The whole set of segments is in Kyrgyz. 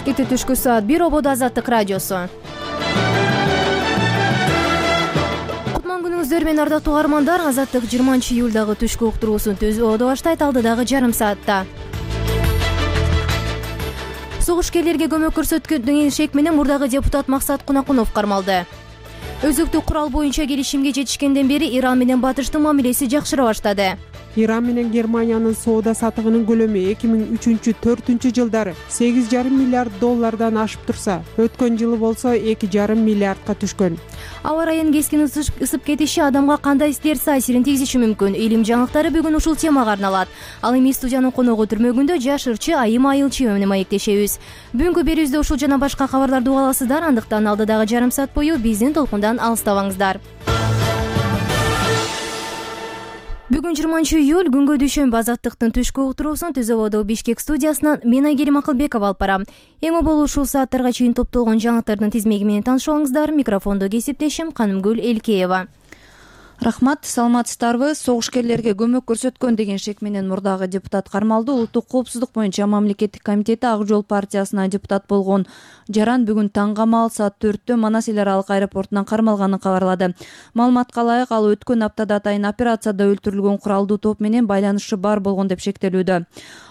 Эртең түшкү саат 1 ободо Азаттык радиосу. Кутман күнүңүздөр менен ардактуу каармандар. Азаттык 20 июлдагы түшкү уктуруусун түзүүдө баштайт алдыдагы жарым саатта. Согушкерлерге көмөк көрсөткөн деген шек менен мурдагы депутат Максат Кунакунов кармалды. Өзүктүү курал боюнча келишимге жетишкенден бери Иран менен Батыштын мамилеси жакшыра баштады. Иран менен Германиянын соода сатыгынын көлөмү 2003-2004 жылдары $8,5 миллиард ашып турса, өткөн жылы болсо 2,5 миллиардка түшкөн. Аба ырайынын кескин ысып кетиши адамга кандай терс таасирин тийгизиши мүмкүн. Илим жаңылыктары бүгүн ушул темага арналат. Ал эми студиянын коногу түрмөгүндө жаш ырчы Айым Айылчиева менен маектешебиз. Бүгүнкү берүүбүздө ушул жана башка кабарларды уга аласыздар. Андыктан алдыдагы жарым саат бою биздин толкундан алыстабаңыздар. Бүгүн 20 июль күнгө дүйшөмбү. Азаттыктын түшкү уктуруусун Түз ободо Бишкек студиясынан мен Айгерим Акылбекова алып барам. Эң оболу ушул сааттарга чейин топтолгон жаңылыктардын тизмеги менен таанышып алыңыздар. Микрофондо кесиптешим Канымгүл Элкеева. Рахмат, саламатсыздарбы? Согушкерлерге көмөк көрсөткөн деген шек менен мурдагы депутат кармалды. Улуттук коопсуздук боюнча мамлекеттик комитети Ак жол партиясынан депутат болгон Жаран бүгүн таң камал саат 4-тө Манас эл аралык аэропортунан кармалганын кабарлады. Маалыматка ылайык, ал өткөн аптада атайын операцияда өлтүрүлгөн куралдуу топ менен байланышы бар болгон деп шектелүүдө.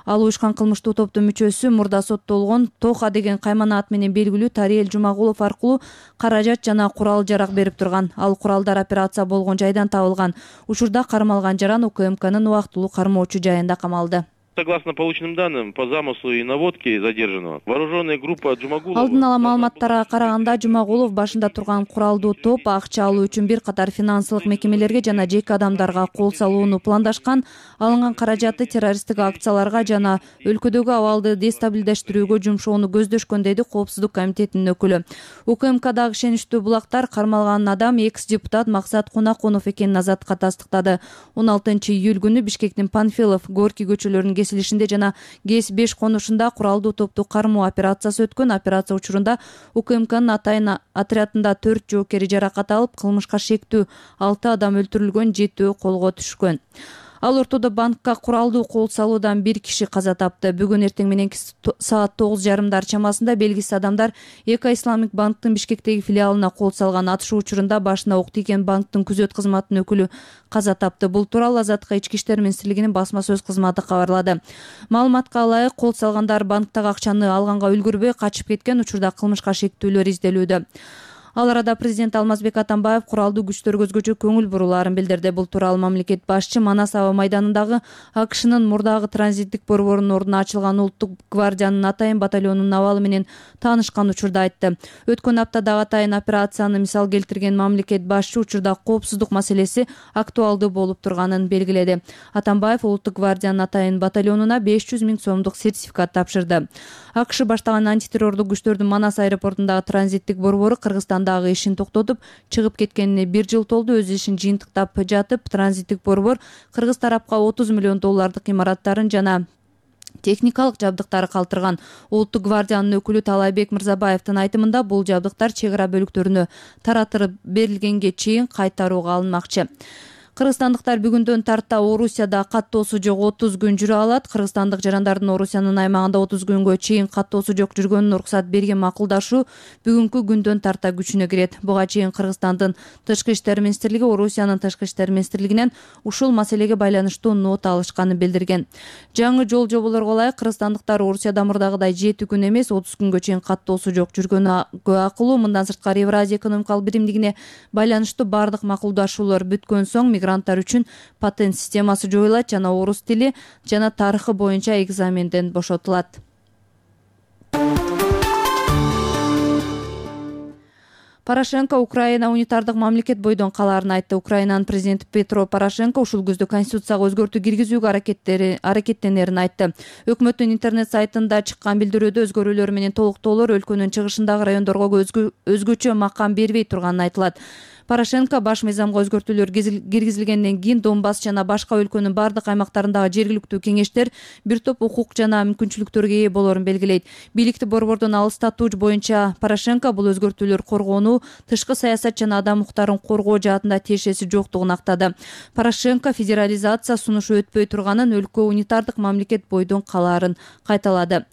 Ал уюшкан кылмыштуу топтун мүчөсү, мурда соттолгон Тоха деген каймана ат менен белгилүү Тариел Жумагулов аркылуу каражат жана курал жарак берип турган. Ал куралдар операция болгон жайдан табылган. Учурда кармалган Жаран УКМКнын убактылуу кармоочу жайында камалды. Согласно полученным данным, по замыслу и наводке задержанного, вооруженная группа Жумагулова... Алдын ала маалыматтарга караганда, Жумагулов башында турган куралдуу топ акча алуу үчүн бир катар финансылык мекемелерге жана жеке адамдарга кол салууну пландашкан. Алынган каражатты террористтик акцияларга жана өлкөдөгү абалды дестабилдештирүүгө жумшоону көздөшкөн, дейди Коопсуздук комитетинин өкүлү. УКМКдагы ишеничтүү булактар кармалган адам экс-депутат Максат Кунакунов экенин Азатка тастыктады. 16 июль күнү Бишкектин Панфилов, Горький көчөлөрүнүн кесилишинде жана ГЭС-5 конушунда куралдуу топту кармоо операциясы өткөн. Операция учурунда УКМКнын атайын отрядында 4 жоокери жаракат алып, кылмышка шектүү 6 адам өлтүрүлгөн, 7 колго түшкөн. Ал ортодо банкка куралдуу кол салуудан 1 киши каза тапты. Бүгүн эртең мененки саат 9:30 чамасында белгисиз адамдар Эко Исламик банктын Бишкектеги филиалына кол салган. Атышуу учурунда башына ок тийген банктын күзөт кызматынын өкүлү каза тапты. Бул тууралуу Азаттыкка Ички иштер министрлигинин басма сөз кызматы кабарлады. Маалыматка ылайык, кол салгандар банктагы акчаны алганга үлгүрбөй качып кеткен. Учурда кылмышка шектүүлөр изделүүдө. Ал арада президент Алмазбек Атамбаев куралдуу күчтөргө өзгөчө көңүл бурулаарын билдирди. Бул тууралуу мамлекет башчы Манас аба майданындагы АКШнын мурдагы транзиттик борборунун ордуна ачылган Улуттук гвардиянын атайын батальонунун абалы менен таанышкан учурда айтты. Өткөн аптадагы атайын операцияны мисал келтирген мамлекет башчы учурда коопсуздук маселеси актуалдуу болуп турганын белгиледи. Атамбаев Улуттук гвардиянын атайын батальонуна 500 000 сомдук сертификат тапшырды. АКШ баштаган антитеррордук күчтөрдүн Манас аэропортундагы транзиттик борбору Кыргызстандагы ишин токтотуп, чыгып кеткенине 1 жыл толду. Өз ишин жыйынтыктап жатып, транзиттик борбор Кыргыз тарапка $30 миллион имараттарын жана техникалык жабдыктары калтырган. Улуттук гвардиянын өкүлү Талайбек Мырзабаевдин айтымында, бул жабдыктар чек ара бөлүктөрүнө таратырып берилгенге чейин кайтарууга алынмакчы. Кыргызстандыктар бүгүндөн тарта Орусияда каттоосу жок 30 күн жүрө алат. Кыргызстандык жарандардын Орусиянын аймагында 30 күнгө чейин каттоосу жок жүргөнүнө уруксат берген макулдашуу бүгүнкү күндөн тарта күчүнө кирет. Буга чейин Кыргызстандын Тышкы иштер министрлиги Орусиянын Тышкы иштер министрлигинен ушул маселеге байланыштуу нота алышканын билдирген. Жаңы жол жоболорго ылайык Кыргызстандыктар Орусияда мурдагыдай 7 күн эмес 30 күнгө чейин каттоосу жок жүргөнү акылуу. Мындан сырткары Евразия экономикалык биримдигине байланыштуу бардык макулдашуулар бүткөн соң мигранттар үчүн патент системасы жоюлат жана орус тили жана тарыхы боюнча экзаменден бошотулат. Порошенко Украина унитардык мамлекет бойдон калаарын айтты. Украинанын президенти Петро Порошенко ушул күздө конституцияга өзгөртүү киргизүүгө аракеттенерин айтты. Өкмөттүн интернет сайтында чыккан билдирүүдө өзгөрүүлөр менен толуктоолор өлкөнүн чыгышындагы райондорго өзгөчө макам бербей турганын айтылат. Порошенко баш мыйзамга өзгөртүүлөр киргизилгенден кийин Донбасс жана башка өлкөнүн бардык аймактарындагы жергиликтүү кеңештер бир топ укук жана мүмкүнчүлүктөргө ээ болоорун белгилейт. Бийликти борбордон алыстатуу боюнча Порошенко бул өзгөртүүлөр коргоону, тышкы саясат жана адам укуктарын коргоо жаатында тиешеси жоктугун актады. Порошенко федерализация сунушу өтпөй турганын, өлкө унитардык мамлекет бойдон калаарын кайталады.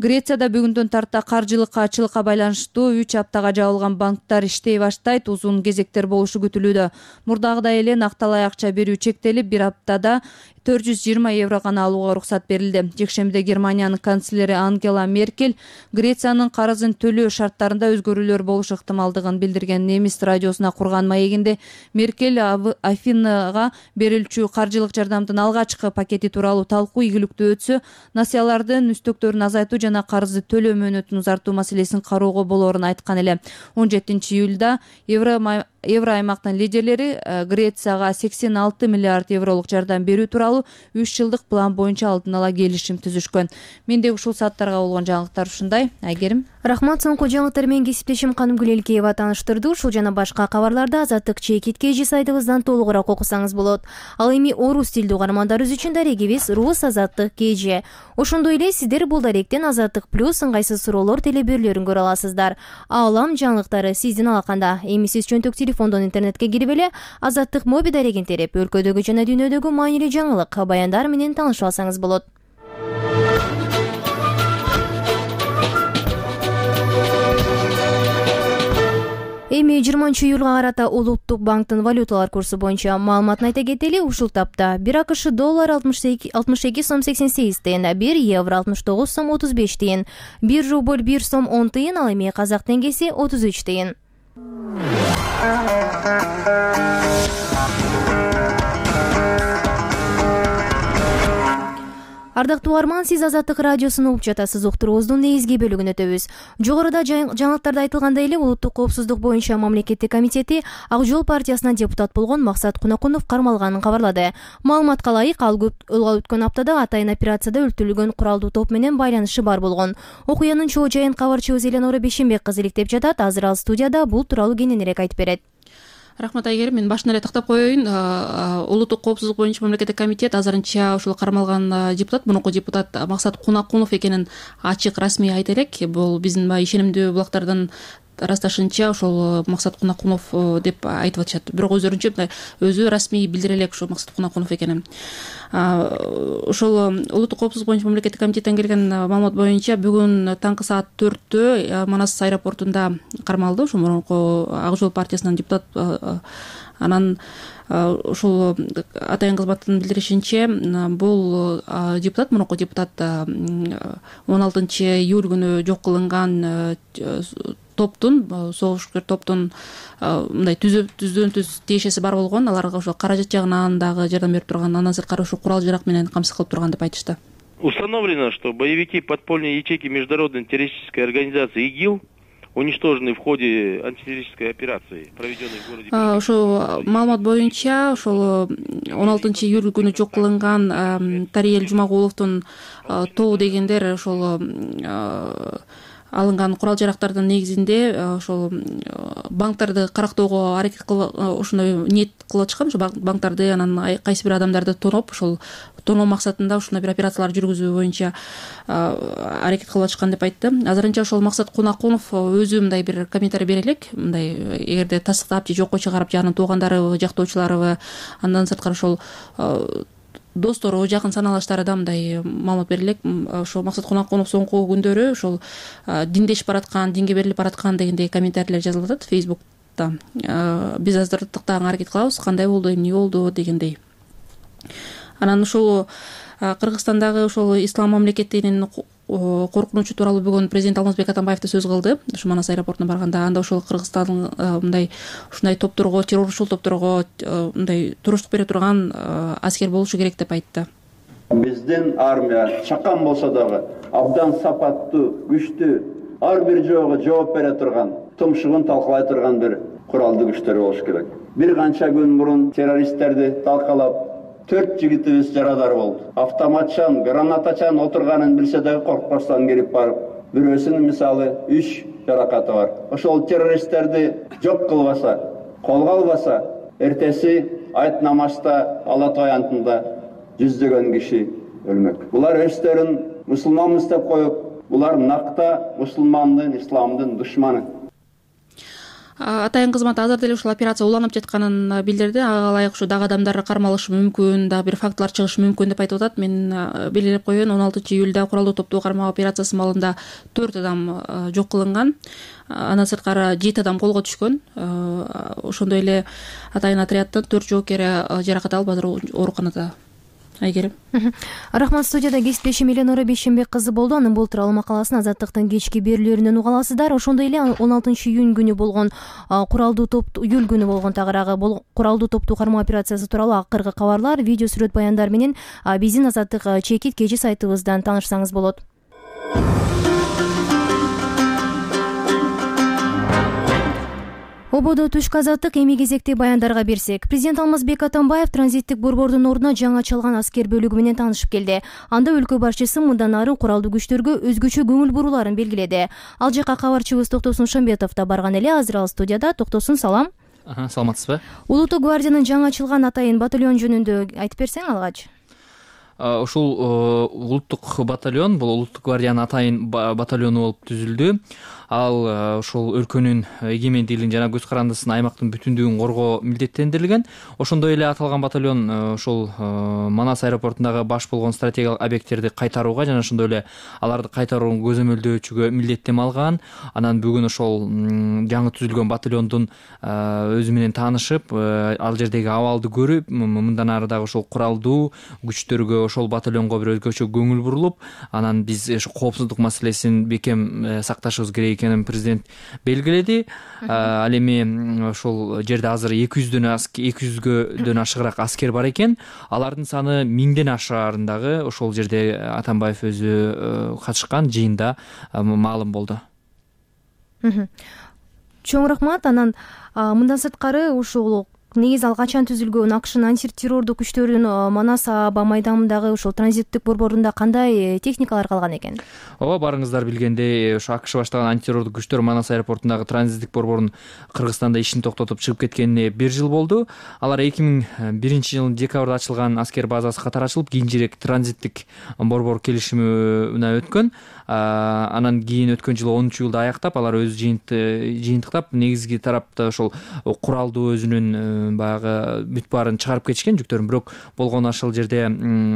Грецияда бүгүндөн тарта каржылык ачылыкка байланыштуу 3 аптага жабылган банктар иштей баштайт. Узун кезектер болушу күтүлүүдө. Мурдагыдай эле накталай акча берүү чектелип, бир аптада 420 евро гана алууга уруксат берилди. Жекшембиде Германиянын канцлери Ангела Меркель Грециянын карызын төлөө шарттарында өзгөрүүлөр болушу ыктымалдыгын билдирген. Немис радиосуна курган маегинде Меркель Афинага берилчү каржылык жардамдын алгачкы пакети тууралуу талкуу игиликтүү өтсө, насыялардын үстөктөрүн азайтуу жана карызды төлөө мөөнөтүн узартуу маселесин кароого болоорун айткан эле. 17-июлда Евро аймактын лидерлери Грецияга 86 миллиард евролук жардам берүү тууралуу 3 жылдык план боюнча алдын ала келишим түзүшкөн. Менде ушул сааттарга болгон жаңылыктар ушундай. Айгерим. Рахмат, соңку жаңылыктар менен кесиптешим Канымгүл Элкеева тааныштырды. Ушул жана башка кабарларды Азаттык чекит KG сайтыбыздан толугураак окусаңыз болот. Ал эми орус тилдүү угармандарыбыз үчүн дарегибиз Рус Азаттык KG. Ошондой эле сиздер бул даректен Азаттык плюс ыңгайсыз суроолор телеберүүлөрүн көрө аласыздар. Аалам жаңылыктары сиздин алаканда. Эми сиз чөнтөк телефондон интернетке кирип эле Азаттык моби дарегин терип, өлкөдөгү жана дүйнөдөгү маанилүү жаңылык, баяндар менен таанышып алсаңыз болот. Эми 20-июлга карата Улуттук банктын валюталар курсу боюнча маалыматын айта кетели. Ушул тапта 1 АКШ доллар 62 сом 88 тыйын, 1 евро 69 сом 35 тыйын, 1 рубль 1 сом 10 тыйын, ал эми казак теңгеси 33 тыйын. Ардактуу угарман, сиз Азаттык радиосун угуп жатасыз. Уктуруубуздун негизги бөлүгүн өтөбүз. Жогоруда жаңылыктарда айтылгандай эле Улуттук коопсуздук боюнча мамлекеттик комитети Ак Жол партиясынан депутат болгон Максат Кунакунов кармалганын кабарлады. Маалыматка ылайык, ал өткөн аптада атайын операцияда өлтүрүлгөн куралдуу топ менен байланышы бар болгон. Окуянын чоо жайын кабарчыбыз Эленора Бешенбек кызы иликтеп жатат. Азыр ал студияда бул тууралуу кененирээк айтып берет. Рахмат, Айгерим. Мен башынан эле тактап коеюн. Улуттук коопсуздук боюнча мамлекеттик комитет азырынча ушул кармалган депутат, мурунку депутат Максат Кунакунов экенин ачык расмий айта элек. Бул биздин баягы ишенимдүү булактардан ырасташынча ошол Максат Кунакунов деп айтып атышат. Бирок өздөрүнчө мындай өзү расмий билдире элек ушул Максат Кунакунов экенин. Ошол Улуттук коопсуздук боюнча мамлекеттик комитеттен келген маалымат боюнча бүгүн таңкы саат 4-тө Манас аэропортунда кармалды. Ошол мурунку Ак Жол партиясынан депутат. Анан ушул атайын кызматтын билдиришинче бул депутат, мурунку депутат 16-июль күнү жок кылынган топтун, согушкер топтун мындай түздөн түз тиешеси бар болгон. Аларга ошо каражат жагынан дагы жардам берип турган, андан сырткары ушу курал жарак менен камсыз кылып турган деп айтышты. Установлено, что боевики подпольной ячейки международной террористической организации ИГИЛ уничтожены в ходе антитеррористической операции, проведенной в городе. Ошол маалымат боюнча ошол 16-июль күнү жок кылынган Тариел Жумагуловдун тобу дегендер ошол алынган курал жарактардын негизинде ошол банктарды карактоого аракет кылып, ошондой ниет кылып атышкан. Ошо банктарды, анан кайсы бир адамдарды тоноп, ошол тоноо максатында ушундай бир операциялар жүргүзүү боюнча аракет кылып атышкан деп айтты. Азырынча ошол Максат Кунакунов өзү мындай бир комментарий бере элек. Мындай эгерде тастыктап же жокко чыгарып, же анын туугандарыбы, жактоочуларыбы, андан сырткары ошол достору, жакын саналаштары да мындай маалымат бере элек. Ошол Максат Кунакунов соңку күндөрү ошол диндешип бараткан, динге берилип бараткан дегендей комментарийлер жазылып атат Facebook'та. Биз азыр тактаганга аракет кылабыз, кандай болду, эмне болду дегендей. Анан ушул Кыргызстандагы ошол ислам мамлекетинин коркунучу тууралуу бүгүн президент Алмазбек Атамбаев да сөз кылды. Ушу Манас аэропортуна барганда, анда ошол Кыргызстандын мындай ушундай топторго, террорчул топторго мындай туруштук бере турган аскер болушу керек деп айтты. Биздин армия чакан болсо дагы абдан сапаттуу, күчтүү, ар бир жоого жооп бере турган, тумшугун талкалай турган бир куралдуу күчтөр болуш керек. Бир канча күн мурун террористтерди талкалап 4 жигитибиз жарадар болду. Автоматчан, гранатачан отурганын билсе дагы коркпостон кирип барып, бирөөсүнүн мисалы 3 жаракаты бар. Ошол террористтерди жок кылбаса, колго албаса, эртеси айт намазда, Алла таянтында жүздөгөн киши өлмөк. Булар өздөрүн мусулманбыз деп коюп, булар накта мусулмандын, исламдын душманы. Атайын кызмат азыр деле ушул операция уланып жатканын билдирди. Ага ылайык ушу дагы адамдар кармалышы мүмкүн, дагы бир фактылар чыгышы мүмкүн деп айтып атат. Мен белгилеп коеюн, 16-июлда куралдуу топту кармоо операциясы маалында 4 адам жок кылынган. Андан сырткары 7 адам колго түшкөн. Ошондой эле атайын отряддын 4 жоокери жаракат алып азыр ооруканада. Айгерим. Рахмат. Студияда кесиптешим Эленора Бейшенбек кызы болду. Анын бул тууралуу макаласын Азаттыктын кечки берүүлөрүнөн уга аласыздар. Ошондой эле 16-июнь күнү болгон куралдуу топту, июль күнү болгон тагыраагы куралдуу топту кармоо операциясы тууралуу акыркы кабарлар, видео сүрөт баяндар менен биздин Азаттык чекит кежи сайтыбыздан таанышсаңыз болот. Ободо түшкү Азаттык эми кезекти баяндарга берсек. Президент Алмазбек Атамбаев транзиттик борбордун ордуна жаңы ачылган аскер бөлүгү менен таанышып келди. Анда өлкө башчысы мындан ары куралдуу күчтөргө өзгөчө көңүл буруларын белгиледи. Ал жака кабарчыбыз Токтосун Шамбетов да барган эле. Азыр ал студияда. Токтосун, салам. Саламатсызбы? Улуттук гвардиянын жаңы ачылган атайын батальон жөнүндө айтып берсең алгач. Ушул улуттук батальон бул улуттук гвардиянын атайын батальону болуп түзүлдү. Ал ушул өлкөнүн эгемендүүлүгүн жана көз карандысын, аймактын бүтүндүгүн коргоо милдеттендирилген. Ошондой эле аталган батальон ушул Манас аэропортундагы баш болгон стратегиялык объекттерди кайтарууга жана ошондой эле аларды кайтаруун көзөмөлдөөчүгө милдеттенме алган. Анан бүгүн ошол жаңы түзүлгөн батальондун өзү менен таанышып, ал жердеги абалды көрүп, мындан ары дагы ошол куралдуу күчтөргө, ошол батальонго бир өзгөчө көңүл бурулуп, анан биз ошо коопсуздук маселесин бекем сакташыбыз керек экенин президент белгиледи. Ал эми ошол жерде азыр 200дөн ашыгыраак аскер бар экен. Алардын саны 1000ден ашаарындагы ошол жерде Атамбаев өзү катышкан жыйында маалым болду. Чоң рахмат. Анан мындан сырткары ушул негизи ал качан түзүлгөн АКШнын антитеррордук күчтөрүнүн Манас аба майданындагы ушул транзиттик борборунда кандай техникалар калган экен? Ооба, барыңыздар билгендей, ошо АКШ баштаган антитеррордук күчтөр Манас аэропортундагы транзиттик борборун Кыргызстанда ишин токтотуп чыгып кеткенине 1 жыл болду. Алар 2001-жылдын декабрда ачылган аскер базасы катары ачылып, кийинчерээк транзиттик борбор келишимине өткөн. Анан кийин өткөн жылы 10-июлда аяктап, алар өз жыйынтыктап, негизги тарапта ошол куралдуу өзүнүн баягы бүт баарын чыгарып кетишкен жүктөрүн. Бирок болгон ошол жерде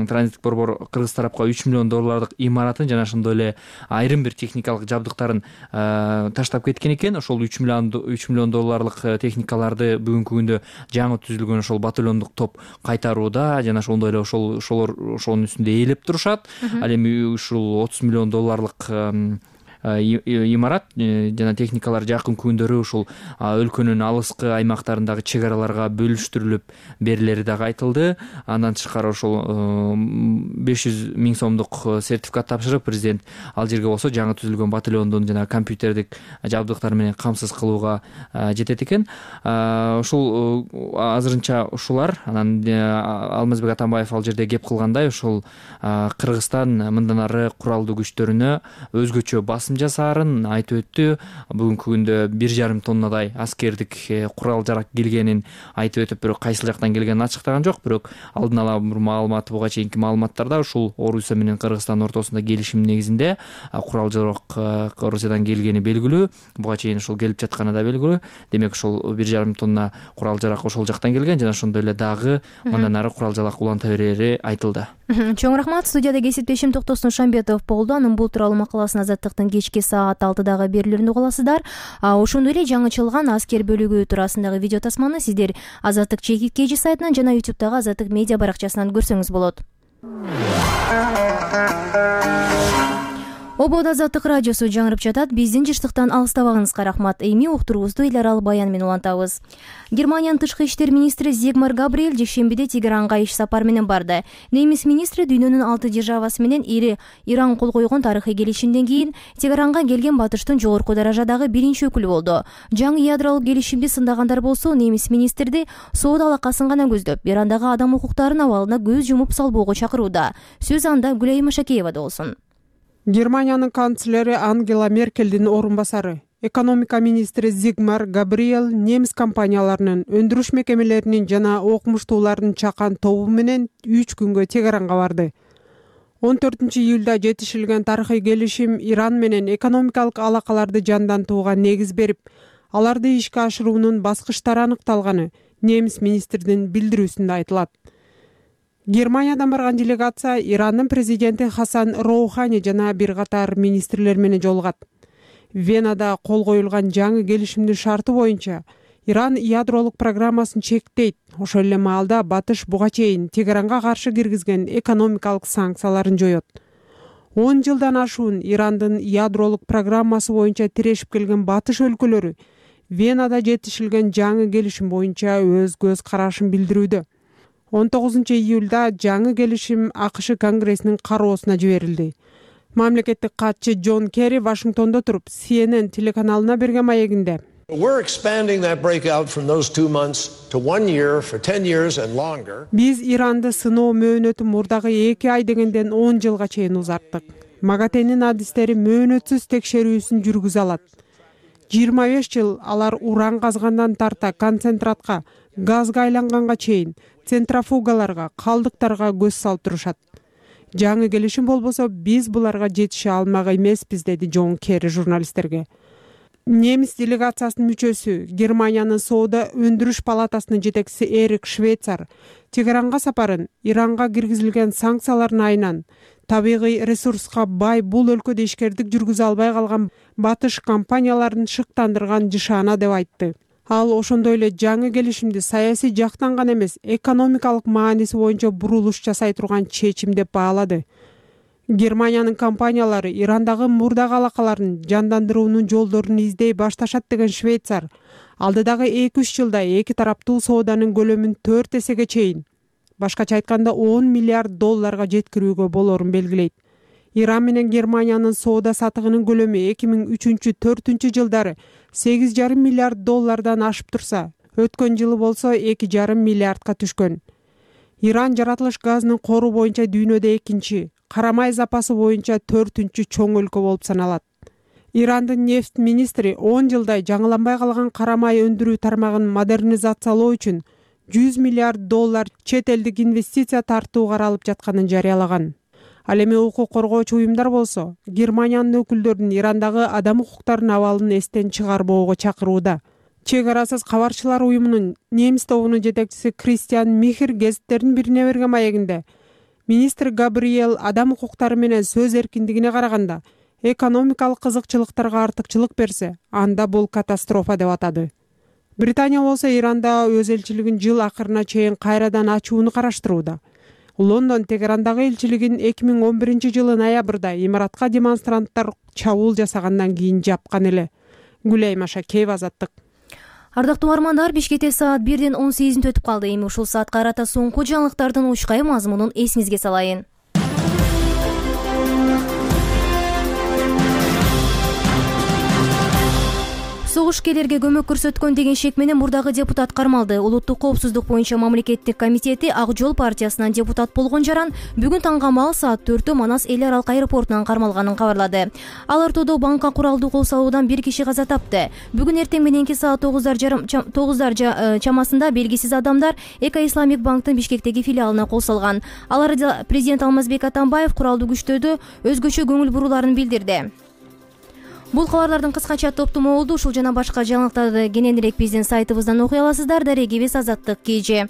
транзиттик борбор кыргыз тарапка $3 миллион имаратын жана ошондой эле айрым бир техникалык жабдыктарын таштап кеткен экен. Ошол $3 миллион техникаларды бүгүнкү күндө жаңы түзүлгөн ошол батальондук топ кайтарууда жана ошондой эле ошонун үстүндө ээлеп турушат. Ал эми ушул $30 миллион имарат жана техникалар жакын күндөрү ушул өлкөнүн алыскы аймактарындагы чек араларга бөлүштүрүлүп берилери дагы айтылды. Андан тышкары ошол 500 000 сомдук сертификат тапшырып, президент ал жерге болсо жаңы түзүлгөн батальондун жана компьютердик жабдыктар менен камсыз кылууга жетет экен. Ушул азырынча ушулар. Анан Алмазбек Атамбаев ал жерде кеп кылгандай, ушул Кыргызстан мындан ары куралдуу күчтөрүнө өзгөчө басым жасаарын айтып өттү. Бүгүнкү күндө 1,5 тоннадай аскердик курал жарак келгенин айтып өтүп, бирок кайсыл жактан келгенин ачыктаган жок. Бирок алдын ала бир маалымат, буга чейинки маалыматтарда ушул Орусия менен Кыргызстан ортосунда келишим негизинде курал жарак Орусиядан келгени белгилүү. Буга чейин ушул келип жатканы да белгилүү. Демек ушул 1,5 тонна курал жарак ошол жактан келген жана ошондой эле дагы мындан ары курал жарак уланта берери айтылды. Чоң рахмат. Студияда кесиптешим Токтосун Шамбетов болду. Анын бул тууралуу макаласын Азаттыктын кечки саат 6-дагы берүүлөрүндө уга аласыздар. Ошондой эле жаңычылган аскер бөлүгү туурасындагы видео тасманы сиздер Азаттык чекит кежи сайтынан жана YouTube'дагы Азаттык медиа баракчасынан көрсөңүз болот. Ободо Азаттык радиосу жаңырып жатат. Биздин жыштыктан алыстабагыңызга рахмат. Эми уктуруубузду эл аралык баян менен улантабыз. Германиянын тышкы иштер министри Зигмар Габриэль жекшембиде Тегеранга иш сапар менен барды. Немис министри дүйнөнүн 6 державасы менен Иран кол койгон тарыхый келишимден кийин Тегеранга келген батыштын жогорку даражадагы биринчи өкүлү болду. Жаңы ядролук келишимди сындагандар болсо, немис министрди соода алакасын гана көздөп, Ирандагы адам укуктарынын абалына көз жумуп салбоого чакырууда. Сөз анда Гүлайым Машакеевада болсун. Германиянын канцлери Ангела Меркелдин орун басары Экономика министри Зигмар Габриэл немис компанияларынын, өндүрүш мекемелеринин жана окумуштуулардын чакан тобу менен 3 күнгө Тегеранга барды. 14-июлда жетишилген тарыхый келишим Иран менен экономикалык алакаларды жандантууга негиз берип, аларды ишке ашыруунун баскычтары аныкталганы немис министрдин билдирүүсүндө айтылат. Германиядан барган делегация Ирандын президенти Хасан Роухани жана бир катар министрлер менен жолугат. Венада кол коюлган жаңы келишимдин шарты боюнча Иран ядролук программасын чектейт. Ошол эле маалда Батыш буга чейин Тегеранга каршы киргизген экономикалык санкцияларын жоёт. 10 жылдан ашуун Ирандын ядролук программасы боюнча тирешип келген Батыш өлкөлөрү Венада жетишилген жаңы келишим боюнча өз көз карашын билдирүүдө. 19-июлда жаңы келишим АКШ Конгрессинин кароосуна жиберилди. Мамлекеттик катчы Джон Керри Вашингтондо туруп CNN телеканалына берген маегинде We're expanding that breakout from those 2 months to 1 year for 10 years and longer. Биз Иранды сыноо мөөнөтү мурдагы 2 ай дегенден 10 жылга чейин узарттык. МАГАТЭнин адистери мөөнөтсүз текшерүүсүн жүргүзө алат. 25 жыл алар уран казгандан тарта концентратка, газга айланганга чейин центрофугаларга, калдыктарга көз салып турушат. Жаңы келишим болбосо биз буларга жетише алмак эмеспиз, деди Джон Керри журналисттерге. Немис делегациясынын мүчөсү, Германиянын соода өндүрүш палатасынын жетекчиси Эрик Швейцар Тегеранга сапарын Иранга киргизилген санкциялардын айынан табигый ресурска бай бул өлкөдө ишкердик жүргүзө албай калган Батыш компанияларын шыктандырган жышаана деп айтты. Ал ошондой эле жаңы келишимди саясий жактан гана эмес, экономикалык мааниси боюнча бурулуш жасай турган чечим деп баалады. Германиянын компаниялары Ирандагы мурдагы алакаларын жандандыруунун жолдорун издей башташат деген Швейцар алдыдагы 2-3 жылда эки тараптуу сооданын көлөмүн 4 эсеге чейин, башкача айтканда $10 миллиард жеткирүүгө болорун белгилейт. Иран менен Германиянын соода сатыгынын көлөмү 2003-2004 жылдары $8,5 миллиард ашып турса, өткөн жылы болсо $2,5 миллиардка түшкөн. Иран жаратылыш газынын кору боюнча дүйнөдө экинчи, карамай запасы боюнча 4-чү чоң өлкө болуп саналат. Ирандын нефть министри 10 жылдай жаңыланбай калган карамай өндүрүү тармагын модернизациялоо үчүн $100 миллиард чет элдик инвестиция тартуу каралып жатканын жарыялаган. Ал эми укук коргоочу уюмдар болсо, Германиянын өкүлдөрүн Ирандагы адам укуктарынын абалын эстен чыгарбоого чакырууда. Чек арасыз кабарчылар уюмунун немис тобунун жетекчиси Кристиан Михер гезиттердин бирине берген маегинде министр Габриэл адам укуктары менен сөз эркиндигине караганда экономикалык кызыкчылыктарга артыкчылык берсе, анда бул катастрофа деп атады. Британия болсо Иранда өз элчилигин жыл акырына чейин кайрадан ачууну караштырууда. Лондон Тегерандагы элчилигин 2011 жылы ноябрда имаратка демонстранттар чабуул жасагандан кийин жапкан эле. Гүлайым Ашакеева, Азаттык. Ардактуу угармандар, Бишкекте саат 1-ден 18 өтүп калды. Эми ушул саатка карата соңку жаңылыктардын учкай мазмунун эсиңизге салайын. Согушкерлерге көмөк көрсөткөн деген шек менен мурдагы депутат кармалды. Улуттук коопсуздук боюнча мамлекеттик комитети Ак жол партиясынан депутат болгон жаран бүгүн таңгамал саат 4-тө Манас эл аралык аэропортунан кармалганын кабарлады. Ал ортодо банкка куралдуу кол салуудан бир киши каза тапты. Бүгүн эртең мененки саат 9 чамасында белгисиз адамдар Эко Исламик банктын Бишкектеги филиалына кол салган. Аларда президент Алмазбек Атамбаев куралдуу күчтөрдө өзгөчө көңүл буруларын билдирди. Бул кабарлардын кыскача топтому болду. Ушул жана башка жаңылыктарды кененирээк биздин сайтыбыздан окуй аласыздар. Дарегибиз Азаттык KG.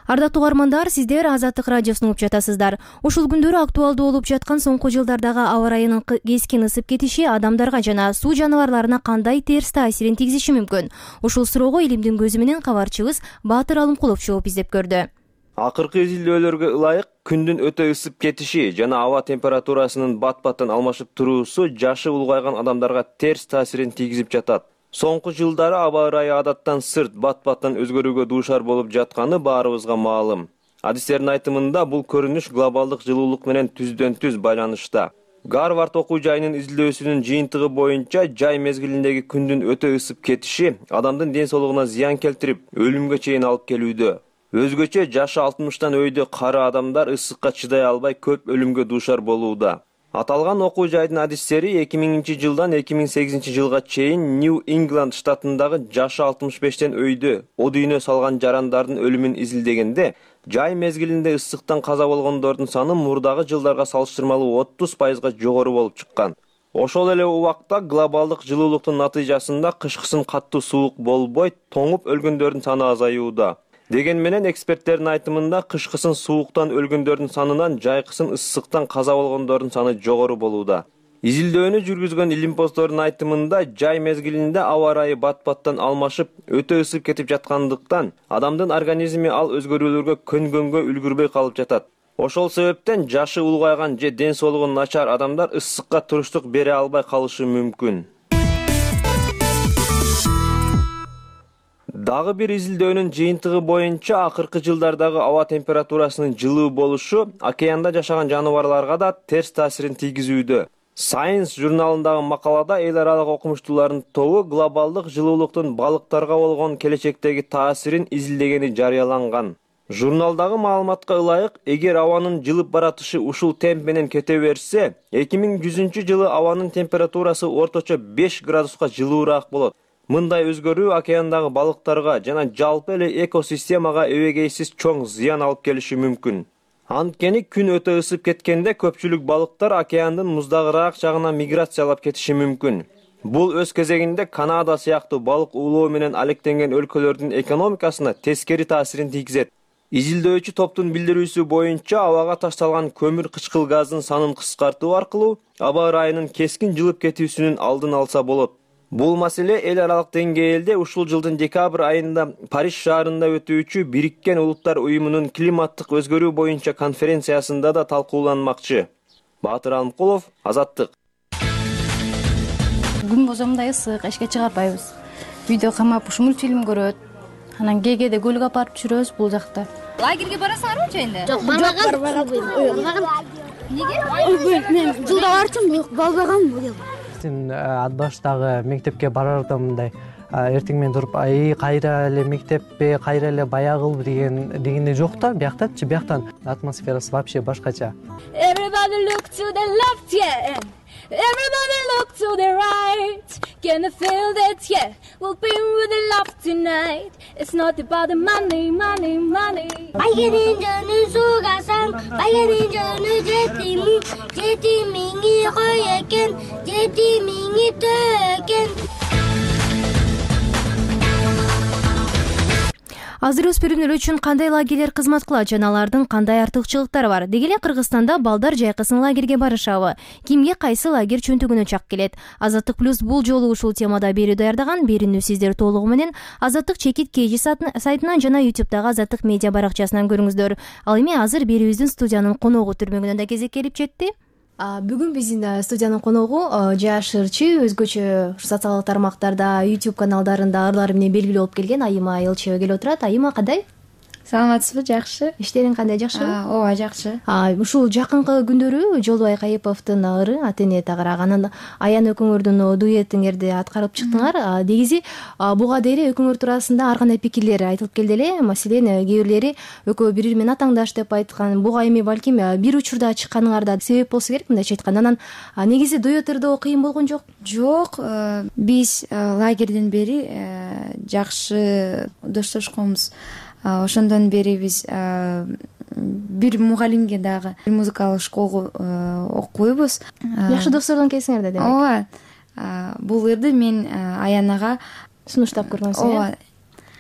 Ардактуу угармандар, сиздер Азаттык радиосун угуп жатасыздар. Ушул күндөрү актуалдуу болуп жаткан соңку жылдардагы аба ырайынын кескин ысып кетиши адамдарга жана суу жаныбарларына кандай терс таасирин тийгизиши мүмкүн? Ушул суроого илимдин көзү менен кабарчыбыз Баатыр Алымкулов жооп издеп көрдү. Акыркы изилдөөлөргө ылайык күндүн өтө ысып кетиши жана аба температурасынын бат-баттан алмашып туруусу жашы улгайган адамдарга терс таасирин тийгизип жатат. Соңку жылдары аба ырайы адаттан сырт бат-баттан өзгөрүүгө дуушар болуп жатканы баарыбызга маалым. Адистердин айтымында бул көрүнүш глобалдык жылуулук менен түздөн-түз байланышта. Гарвард окуу жайынын изилдөөсүнүн жыйынтыгы боюнча жай мезгилиндеги күндүн өтө ысып кетиши адамдын ден соолугуна зыян келтирип, өлүмгө чейин алып келүүдө. Өзгөчө жашы 60тан өйдө кары адамдар ысыкка чыдай албай көп өлүмгө дуушар болууда. Аталган окуу жайдын адистери 2000-жылдан 2008-жылга чейин New England штатындагы жашы 65тен өйдө о дүйнө салган жарандардын өлүмүн изилдегенде, жай мезгилинде ысыктан каза болгондордун саны мурдагы жылдарга салыштырмалуу 30% жогору болуп чыккан. Ошол эле убакта глобалдык жылуулуктун натыйжасында кышкысын каттуу суук болбой, тоңуп өлгөндөрдүн саны азаюуда. Деген менен эксперттердин айтымында кышкысын сууктан өлгөндөрдүн санынан жайкысын ысыктан каза болгондордун саны жогору болууда. Изилдөөнү жүргүзгөн илимпоздордун айтымында жай мезгилинде аба ырайы бат-баттан алмашып, өтө ысып кетип жаткандыктан адамдын организми ал өзгөрүүлөргө көнгөнгө үлгүрбөй калып жатат. Ошол себептен жашы улгайган же ден соолугу начар адамдар ысыкка туруштук бере албай калышы мүмкүн. Дагы бир изилдөөнүн жыйынтыгы боюнча акыркы жылдардагы аба температурасынын жылуу болушу океанда жашаган жаныбарларга да терс таасирин тийгизүүдө. Science журналындагы макалада эл аралык окумуштуулардын тобу глобалдык жылуулуктун балыктарга болгон келечектеги таасирин изилдегени жарыяланган. Журналдагы маалыматка ылайык, эгер абанын жылып баратышы ушул темп менен кете берсе, 2100-жылы абанын температурасы орточо 5 градуска жылуураак болот. Мындай өзгөрүү океандагы балыктарга жана жалпы эле экосистемага эбегейсиз чоң зыян алып келиши мүмкүн. Анткени күн өтө ысып кеткенде көпчүлүк балыктар океандын муздагыраак жагына миграциялап кетиши мүмкүн. Бул өз кезегинде Канада сыяктуу балык уулоо менен алектенген өлкөлөрдүн экономикасына тескери таасирин тийгизет. Изилдөөчү топтун билдирүүсү боюнча абага ташталган көмүр кычкыл газдын санын кыскартуу аркылуу аба ырайынын кескин жылып кетүүсүнүн алдын алса болот. Бул маселе эл аралык деңгээлде ушул жылдын декабрь айында Париж шаарында өтүүчү Бириккен Улуттар уюмунун климаттык өзгөрүү боюнча конференциясында да талкууланмакчы. Баатыр Алымкулов, Азаттык. Күн болсо мындай ысык, эшикке чыгарбайбыз. Үйдө камап ушу мультфильм көрөт. Анан кээде көлгө апарып түшүрөбүз бул жакта. Лагерге барасыңарбы жайында? Жок, барбаган. Неге? Мен жылда барчумун, барбагам бул жыл. Ат баштагы мектепке барарда мындай эртең менен туруп кайра эле мектеппи, кайра эле баягылбы дегенде жок да, бияктачы, бияктан атмосферасы вообще башкача. Everybody look to the left, yeah. Everybody look to the right. Can you feel that, yeah? We'll be with the love tonight. It's not about the money, money, money. Baygenin canı sugasan, baygenin canı jetimiği koyeken, jetimiği töken. Азыр өспүрүмдөр үчүн кандай лагерлер кызмат кылат жана алардын кандай артыкчылыктары бар? Деги эле Кыргызстанда балдар жайкысын лагерге барышабы? Кимге кайсы лагерь чөнтөгүнө чак келет? Азаттык плюс бул жолу ушул темада берүү даярдаган. Берүүнү сиздер толугу менен Азаттык чекит KG сайтынан жана YouTube'дагы Азаттык медиа баракчасынан көрүңүздөр. Ал эми азыр берүүбүздүн студиянын коногу түрмөгүнөн да кезек келип жетти. Бүгүн биздин студиянын коногу жаш ырчы, өзгөчө социалдык тармактарда, YouTube каналдарында ырлары менен белгилүү болуп келген Айыма Айылчева келип отурат. Айыма, кандай? Саламатсызбы? Жакшы. Иштериң кандай, жакшыбы? Ооба, жакшы. Ушул жакынкы күндөрү Жолдубай Кайыповдун ыры Атене тагырак, анан Аян экөөңөрдүн дуэтиңерди аткарып чыктыңар. Негизи буга дейин экөөңөр туурасында ар кандай пикирлер айтылып келди эле. Маселен, кээ бирлери экөө бири бири атаңдаш деп айткан. Буга эми балким бир учурда чыкканыңарда себеп болсо керек, мындайча айтканда. Анан негизи дуэт ырдоо кыйын болгон жок? Жок, биз лагерден бери жакшы доштошконбуз. Ошондон бери биз бир мугалимге дагы музыкалык школго окуйбуз. Жакшы достордон келсиңер да демек. Ооба. Бул ырды мен Аянага сунуштап көргөнсүң. Ооба.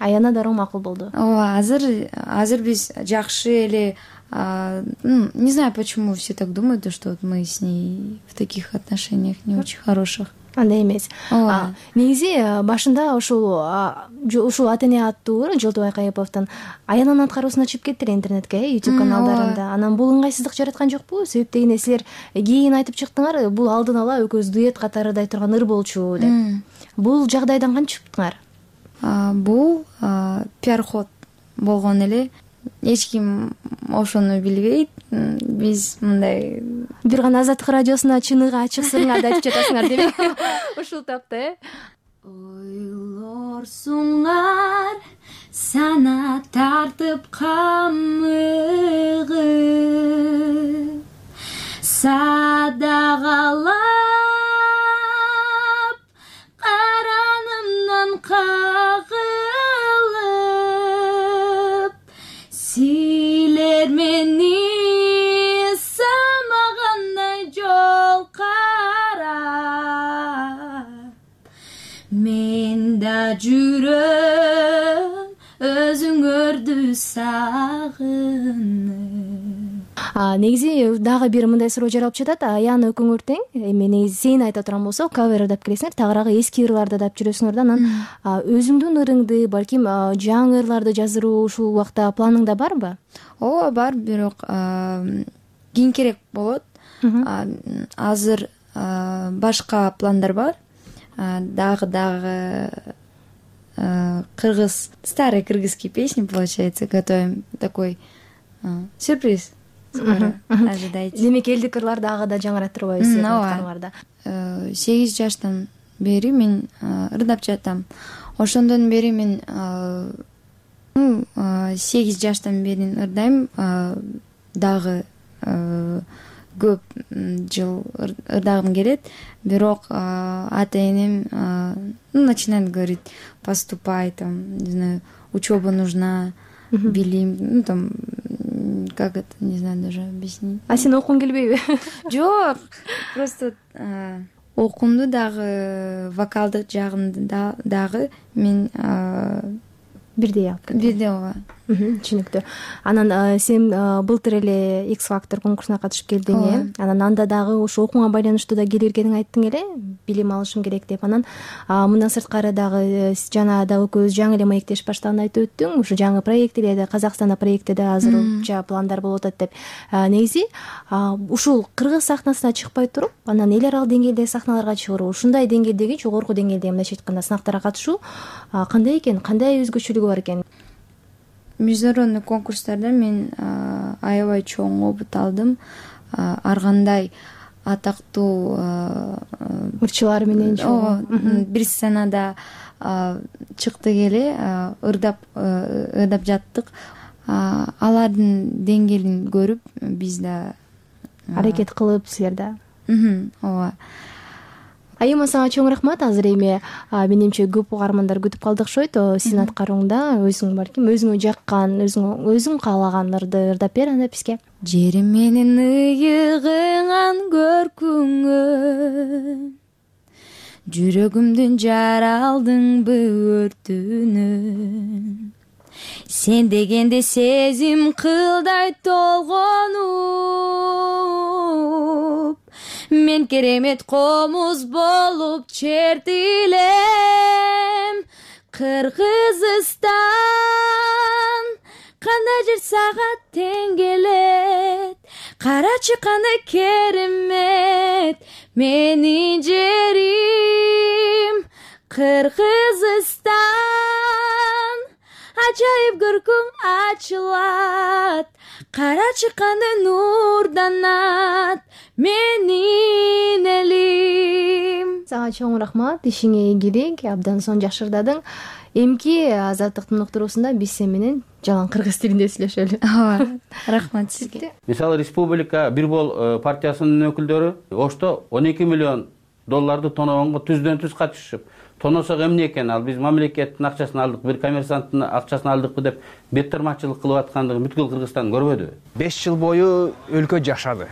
Аяна да макул болду. Ооба, азыр биз жакшы эле, не знаю, почему все так думают, что мы с ней в таких отношениях не очень хороших. Андай эмес. Негизи башында ушул Атене аттуу Жолдубай Кайыповдун Аянын аткаруусуна чыгып кеттир интернетке, YouTube каналдарында. Анан бул ыңгайсыздык жараткан жокпу? Себеп дегенде силер кийин айтып чыктыңар, бул алдын ала экөөбүз дуэт катары ырдай турган ыр болчу деп. Бул жагдайдан кантип чыктыңар? Бул пиар-ход болгон эле. Эч ким ошону билбейт. Биз мындай бир гана Азаттык радиосуна чыныгы ачык сырыңарды айтып жатасыңар демек. Ушул тапта, Ойлорсуңар, сана тартып камыгы садагалап каранымдан кагылып силер мени самагандай жол карап мен да жүрөм өзүңөрдү сагынып. Негизи дагы бир мындай суроо жаралып жатат. Аяны өкүңөр тең. Эми негизи сен айта турган болсо, кавер ырдап келесиңер, тагыраагы эски ырларды ырдап жүрөсүңөр да, анан өзүңдүн ырыңды, балким жаңы ырларды жаздыруу ушул убакта планыңда барбы? Ооба, бар, бирок кийинкирээк болот. Азыр башка пландар бар. Дагы кыргыз, старые кыргызские песни, получается, готовим. Такой сюрприз. Скоро ожидайте. Демек элдик ырлар дагы да жаңырат турбайбыз сиздердин. 8 жаштан бери мен ырдап жатам. Ошондон бери мен 8 жаштан бери ырдайм. Дагы көп жыл ырдагым келет. Бирок ата энем начинает говорить: поступай, там, не знаю, учеба нужна, билим, там, как это, не знаю даже объяснить. А сен окуң келбейби? Жок, просто окуумду дагы, вокалдык жагымды дагы мен бирдей алып кетем. Бирдей, ооба. Түшүнүктүү. Анан сен былтыр эле X Factor конкурсуна катышып келдиң, э? Анан анда дагы ошо окууга байланыштуу да келергениңди айттың эле, билим алышым керек деп. Анан мындан сырткары дагы жана да экөөбүз жаңы эле маектешип баштаганды айтып өттүң. Ушу жаңы проект эле Казакстанда проектте да азыр уча пландар болуп атат деп. Негизи ушул кыргыз сахнасына чыкпай туруп, анан эл аралык деңгээлдеги сахналарга чыгуу, ушундай деңгээлдеги, жогорку деңгээлдеги мындайча айтканда сынактарга катышуу кандай экен, кандай өзгөчөлүгү бар экен? Международный конкурстарда мен аябай чоң опыт алдым. Ар кандай атактуу ырчылар менен бир сценада чыктык эле, ырдап жаттык. Алардын деңгээлин көрүп, биз да аракет кылып, силер да. Ооба. Айыма, сага чоң рахмат. Азыр эми менимче көп угармандар күтүп калды окшойт. Сиздин аткарууңда өзүң балким өзүңө жаккан, өзүң каалаган ырды ырдап бер анда бизге. Жерим менин ыйыгыңан көркүңөн, жүрөгүмдүн жаралдыңбы өртүнөн, сен дегенде сезим кылдай толгонуп, мен керемет комуз болуп чертилем. Кыргызстан кандай жер сага тең келет, карачы кандай керемет менин жерим. Кыргызстан ажайып көркүң ачылат, карачы кандай нурданат менин элим. Сага чоң рахмат, ишиңе ийгилик, абдан сонун жакшы ырдадың. Эмки Азаттыктын уктуруусунда биз сен менен жалаң кыргыз тилинде сүйлөшөлү. Ооба, рахмат сизге. Мисалы, республика Бирбол партиясынын өкүлдөрү Ошто $12 миллион тоногонго түздөн түз катышып, тоносок эмне экен, ал биз мамлекеттин акчасын алдык, бир коммерсанттын акчасын алдыкпы деп беттармачылык кылып аткандыгын бүткүл Кыргызстан көрбөдү. 5 жыл бою өлкө жашады.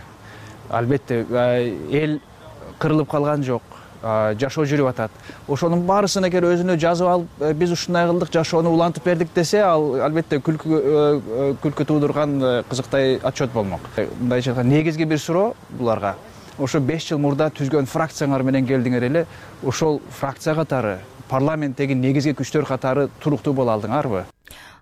Албетте эл кырылып калган жок, жашоо жүрүп атат. Ошонун баарысын эгер өзүнө жазып алып, биз ушундай кылдык, жашоону улантып бердик десе, ал албетте күлкү туудурган кызыктай отчет болмок. Мындайча айтканда негизги бир суроо буларга: ошо 5 жыл мурда түзгөн фракцияңар менен келдиңер эле, ошол фракция катары, парламенттеги негизги күчтөр катары туруктуу боло алдыңарбы?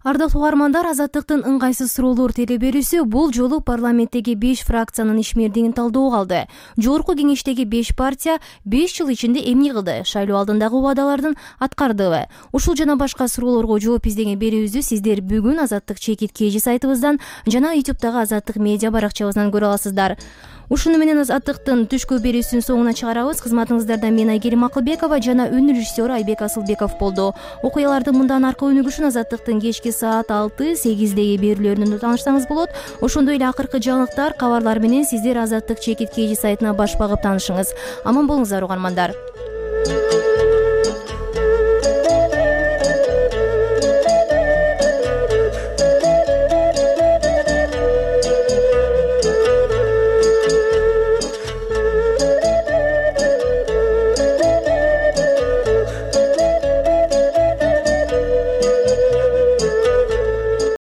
Ардактуу угармандар, Азаттыктын ыңгайсыз суроолор теле берүүсү бул жолу парламенттеги 5 фракциянын ишмердигин талдоого алды. Жогорку кеңештеги 5 партия 5 жыл ичинде эмне кылды, шайлоо алдындагы убадалардын аткардыбы? Ушул жана башка суроолорго жооп издеген берүүбүздү сиздер бүгүн Азаттык чекит KG сайтыбыздан жана YouTube'дагы Азаттык медиа баракчабыздан көрө аласыздар. Ушуну менен Азаттыктын түшкү берүүсүнүн соңуна чыгарабыз. Кызматыңыздарда мен Айгерим Акылбекова жана өнөр режиссеру Айбек Асылбеков болду. Окуялардын мындан аркы өнүгүшүн Азаттыктын кечки саат 6-8деги берүүлөрүнөн таанышсаңыз болот. Ошондой эле акыркы жаңылыктар, кабарлар менен сиздер Азаттык чекит KG сайтына баш багып таанышыңыз. Аман болуңуздар угармандар.